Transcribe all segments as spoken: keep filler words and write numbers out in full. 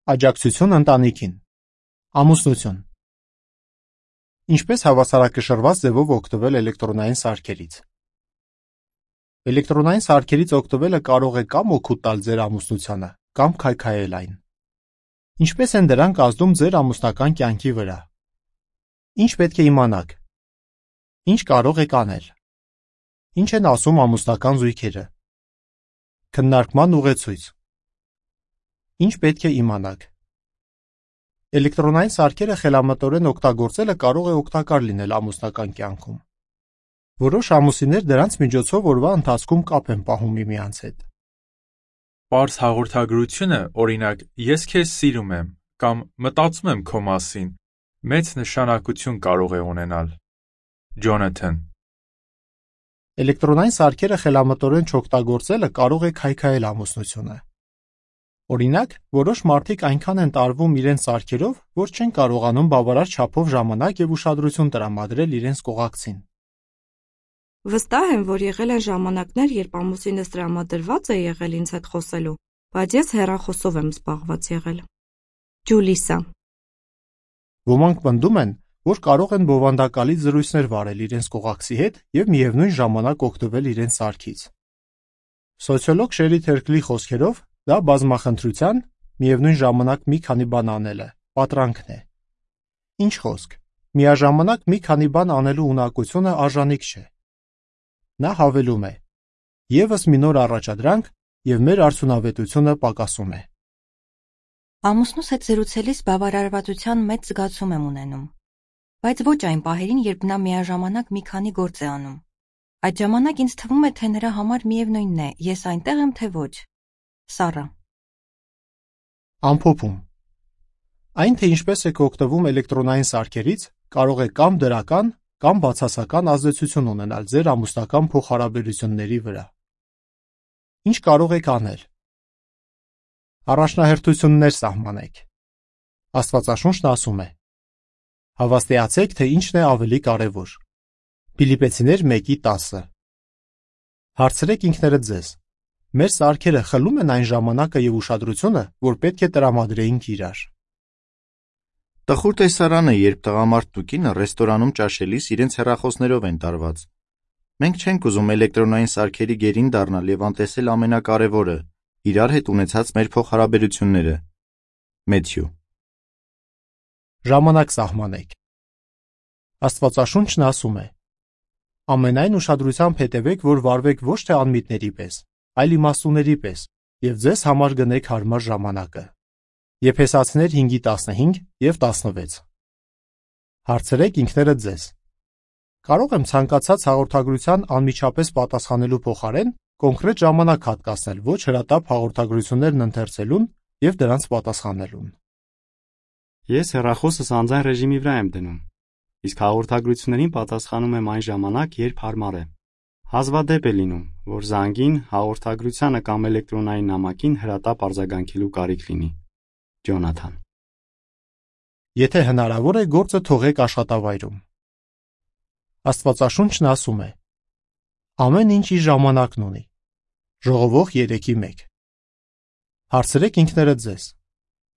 Աջակցություն ընտանիքին։ Ամուսնություն։ Ինչպես հավասարակշռված ձևով օգտվել էլեկտրոնային սարքերից։ Էլեկտրոնային սարքերից օգտվելը կարող է կամ օգուտ տալ ձեր ամուսնությանը, կամ քայքայել այն։ Ինչպես են դրանք ազդում ձեր ամուսնական կյանքի վրա։ Ինչ պետք է իմանաք։ Ինչ կարող եք անել։ Ինչ են ասում ամուսնական զույգերը։ Քննարկման ուղեցույց։ Ինչ պետք է իմանաք։ Էլեկտրոնային սարքերը խելամտորեն օգտագործելը կարող է օգտակար լինել ամուսնական կյանքում։ Որոշ ամուսիններ դրանց միջոցով օրվա ընթացքում կապ են պահում միմյանց հետ։ Պարզ հաղորդագրությունը, օրինակ, ես քեզ սիրում եմ կամ մտածում եմ քո մասին, մեծ նշանակություն կարող է ունենալ։ Ջոնաթան։ Էլեկտրոնային սարքերը խելամտորեն չօգտագործելը կարող է քայքայել ամուսնությունը։ Օրինակ, որոշ մարդիկ այնքան են տարվում իրենց սարքերով, որ չեն կարողանում բավարար չափով ժամանակ և ուշադրություն տրամադրել իրենց կողակցին։ Վստահ եմ, որ եղել են ժամանակներ, երբ ամուսինս տրամադրված է եղել ինձ հետ խոսելու, բայց ես հեռախոսով եմ զբաղված եղել։ Ջուլիսա։ Ոմանք պնդում են, որ կարող են բովանդակալից զրույցներ վարել իրենց կողակցի հետ և միևնույն ժամանակ օգտվել իրենց սարքից։ Սոցիոլոգ Շերի Թերքլի խոսքերով, դա բազմախնդրության, միևնույն ժամանակ մի քանի բան անելը, պատրանքն է։ Ինչ խոսք, միաժամանակ մի քանի բան անելու ունակությունը արժանիք չէ։ Նա հավելում է. Եվս մի նոր առաջադրանք, և մեր արդյունավետությունը պակասում է։ Ամուսնուս հետ զրուցելիս բավարարվածության մեծ զգացում եմ ունենում, բայց ոչ այն պահերին, երբ նա միաժամանակ մի քանի գործ է անում։ Այդ ժամանակ ինձ թվում է, թե նրա համար միևնույնն է, ես այնտեղ եմ, թե ոչ։ Սառա։ Ամփոփում։ Այն, թե ինչպես եք օգտվում էլեկտրոնային սարքերից, կարող է կամ դրական, կամ բացասական ազդեցություն ունենալ ձեր ամուսնական փոխհարաբերությունների վրա։ Ինչ կարող եք անել։ Առաջնահերթություններ սահմանեք։ Աստվածաշունչն ասում է. Հավաստիացեք, թե ինչն է ավելի կարևոր։ Փիլիպպեցիներ մեկի տասը։ Հարցրեք ինքներդ ձեզ. մեր սարքերը խլում են այն ժամանակը և ուշադրությունը, որ պետք է տրամադրեինք իրար։ Տխուր տեսարան է, երբ տղամարդն ու կինը ռեստորանում ճաշելիս իրենց հեռախոսներով են տարված։ Մենք չենք ուզում էլեկտրոնային սարքերի գերին դառնալ և անտեսել ամենակարևորը՝ իրար հետ ունեցած մեր փոխհարաբերությունները։ Մեթյու։ Ժամանակ սահմանեք։ Աստվածաշունչն ասում է. ամենայն ուշադրությամբ հետևեք, որ վարվեք ոչ թե անմիտների պես, այլ իմաստուների պես, և ձեզ համար գնեք հարմար ժամանակը։ Եփեսացիներ հինգի տասնհինգ և տասնվեց։ Հարցրեք ինքներդ ձեզ. կարող եմ ցանկացած հաղորդագրության անմիջապես պատասխանելու փոխարեն կոնկրետ ժամանակ հատկացնել ոչ հրատապ հաղորդագրություններն ընթերցելուն և դրանց պատասխանելուն։ Ես հեռախոսս անձայն ռեժիմի վրա եմ դնում, իսկ հաղորդագրություններին պատասխանում եմ այն ժամանակ, երբ հարմար է։ Հազվադեպ է լինում, որ զանգին, հաղորդագրությանը կամ էլեկտրոնային նամակին հրատապ արձագանքելու կարիք լինի։ Ջոնաթան։ Եթե հնարավոր է, գործը թողեք աշխատավայրում։ Աստվածաշունչն ասում է. ամեն ինչ իր ժամանակն ունի։ Ժողովող երեքի մեկ։ Հարցրեք ինքներդ ձեզ.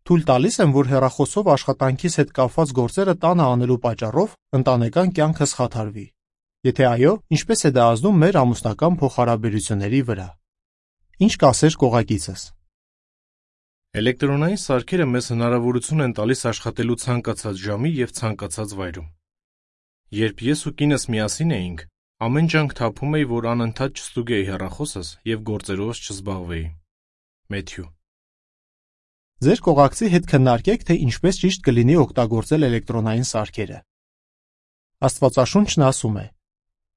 թույլ տալիս եմ, որ հեռախոսով աշխատանքիս հետ կապված գործերը տանը անելու պատճառով ընտանեկան կյանքս խաթարվի։ Եթե այո, ինչպես է դա ազդում մեր ամուսնական փոխհարաբերությունների վրա։ Ինչ կասեր կողակիցս։ Էլեկտրոնային սարքերը մեզ հնարավորություն են տալիս աշխատելու ցանկացած ժամի և ցանկացած վայրում։ Երբ ես ու կինս միասին էինք, ամեն ջանք թափում էի, որ անընդհատ չստուգեի հեռախոսս և գործերովս չզբաղվեի։ Մեթյու։ Ձեր կողակցի հետ քննարկեք, թե ինչպես ճիշտ կլինի օգտագործել էլեկտրոնային սարքերը։ Աստվածաշունչն ասում է.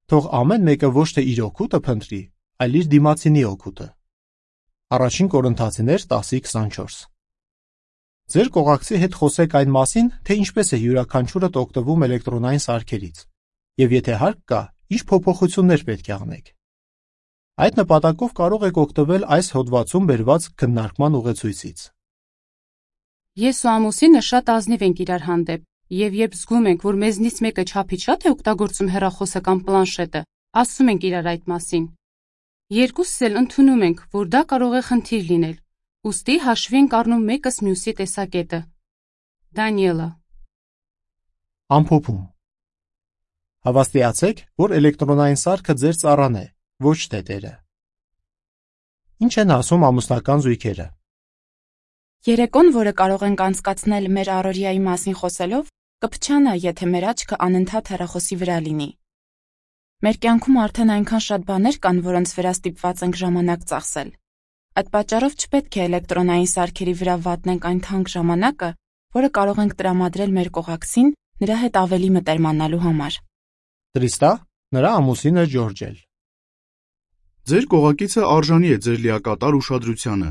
թող ամեն մեկը ոչ թե իր օգուտը փնտրի, այլ իր դիմացինի օգուտը։ Առաջին Կորինթացիներ տասը քսանչորս։ Ձեր կողակցի հետ խոսեք այն մասին, թե ինչպես է յուրաքանչյուրդ օգտվում էլեկտրոնային սարքերից, և եթե հարկ կա, ինչ փոփոխություններ պետք է անեք։ Այդ նպատակով կարող եք օգտվել այս հոդվածում բերված քննարկման ուղեցույցից։ Ես ու ամուսինը շատ ազնիվ ենք իրար հանդեպ, և երբ զգում ենք, որ մեզնից մեկը չափից շատ է օգտագործում հեռախոսը կամ պլանշետը, ասում ենք իրար այդ մասին։ Երկուսս էլ ընդունում ենք, որ դա կարող է խնդիր լինել, Ուստի հաշվի ենք առնում մեկս մյուսի տեսակետը։ Դանիելը. Ամփոփում. Հավաստիացեք, որ էլեկտրոնային սարքը ձեր ծառան է, ոչ թե տերը։ Ինչ են ասում ամուսնական զույգերը։ Երեկոն, որը կարող ենք անցկացնել մեր առօրյայի մասին խոսելով, կփչանա, եթե մեր աչքը անընդհատ հեռախոսի վրա լինի։ Մեր կյանքում արդեն այնքան շատ բաներ կան, որոնց վրա ստիպված ենք ժամանակ ծախսել։ Այդ պատճառով չպետք է էլեկտրոնային սարքերի վրա վատնենք այն թանկ ժամանակը, որը կարող ենք տրամադրել մեր կողակցին նրա հետ ավելի մտերմանալու համար։ Տրիստա, նրա ամուսինը Ջորջել։ Ձեր կողակիցը արժանի է ձեր լիակատար ուշադրությանը։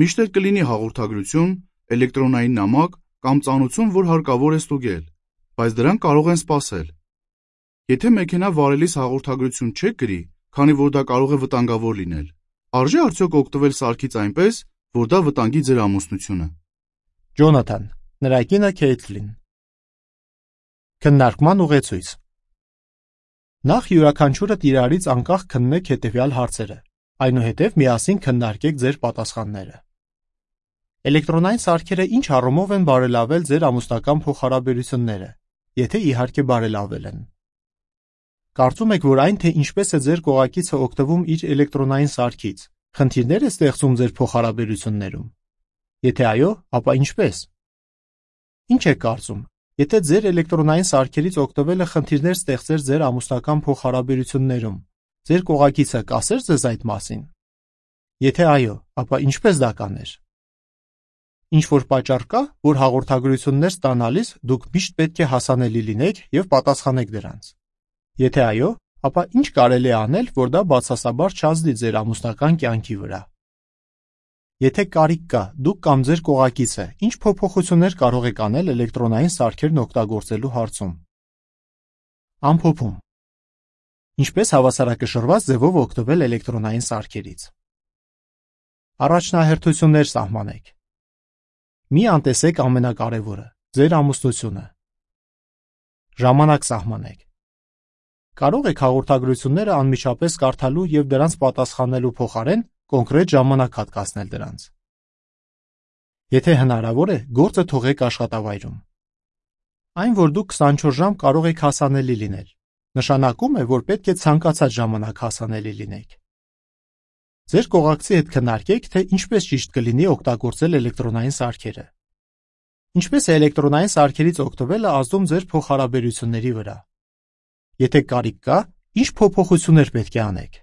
Միշտ էլ կլինի հաղորդագրություն, էլեկտրոնային նամակ կամ ծանոթություն, որ հարկավոր է ստուգել, բայց դրանք կարող են սպասել։ Եթե մեքենա վարելիս հաղորդագրություն չեք գրի, քանի որ դա կարող է վտանգավոր լինել, արժե արդյոք օգտվել սարքից այնպես, որ դա վտանգի ձեր ամուսնությունը։ Ջոնաթան, նրա կինը Քեյթլին։ Քննարկման ուղեցույց։ Նախ յուրաքանչյուրը իրարից անկախ քննեք հետևյալ հարցերը, այնուհետև միասին քննարկեք ձեր պատասխանները։ Էլեկտրոնային սարքերը ինչ առումով են բարելավել ձեր ամուսնական փոխհարաբերությունները, եթե իհարկե բարելավել են։ Կարծում եք, որ այն, թե ինչպես է ձեր կողակիցը օգտվում իր էլեկտրոնային սարքից, խնդիրներ է ստեղծում ձեր փոխհարաբերություններում։ Եթե այո, ապա ինչպես։ Ինչ եք կարծում, եթե ձեր էլեկտրոնային սարքերից օգտվելը խնդիրներ ստեղծեր ձեր ամուսնական փոխհարաբերություններում, ձեր կողակիցը կասեր ձեզ այդ մասին։ Եթե այո, ապա ինչպես դա կաներ։ Ինչ որ պատճառ կա, որ հաղորդագրություններ ստանալիս դուք միշտ պետք է հասանելի լինեք եւ պատասխանեք դրանց։ Եթե այո, ապա ինչ կարելի է անել, որ դա բացասաբար չազդի ձեր ամուսնական կյանքի վրա։ Եթե կարիք կա, դուք կամ ձեր կողակիցը ինչ փոփոխություններ կարող եք անել էլեկտրոնային սարքերն օգտագործելու հարցում։ Ամփոփում. Ինչպես հավասարակշռված ձևով օգտվել էլեկտրոնային սարքերից։ Առաջնահերթություններ սահմանեք։ Մի անտեսեք ամենակարևորը՝ ձեր ամուսնությունը։ Ժամանակ սահմանեք։ Կարող եք հաղորդագրությունները անմիջապես կարդալու եւ դրանց պատասխանելու փոխարեն կոնկրետ ժամանակ հատկացնել դրանց։ Եթե հնարավոր է, գործը թողեք աշխատավայրում։ Այն, որ դուք քսանչորս ժամ կարող եք հասանելի լինել, նշանակում է, որ պետք է ցանկացած ժամանակ հասանելի լինեք։ Ձեր կողակցի հետ քննարկեք, թե ինչպես ճիշտ կլինի օգտագործել էլեկտրոնային սարքերը։ Ինչպես է էլեկտրոնային սարքերից օգտվելը ազդում ձեր փոխհարաբերությունների վրա։ Եթե կարիք կա, ինչ փոփոխություններ պետք է անեք։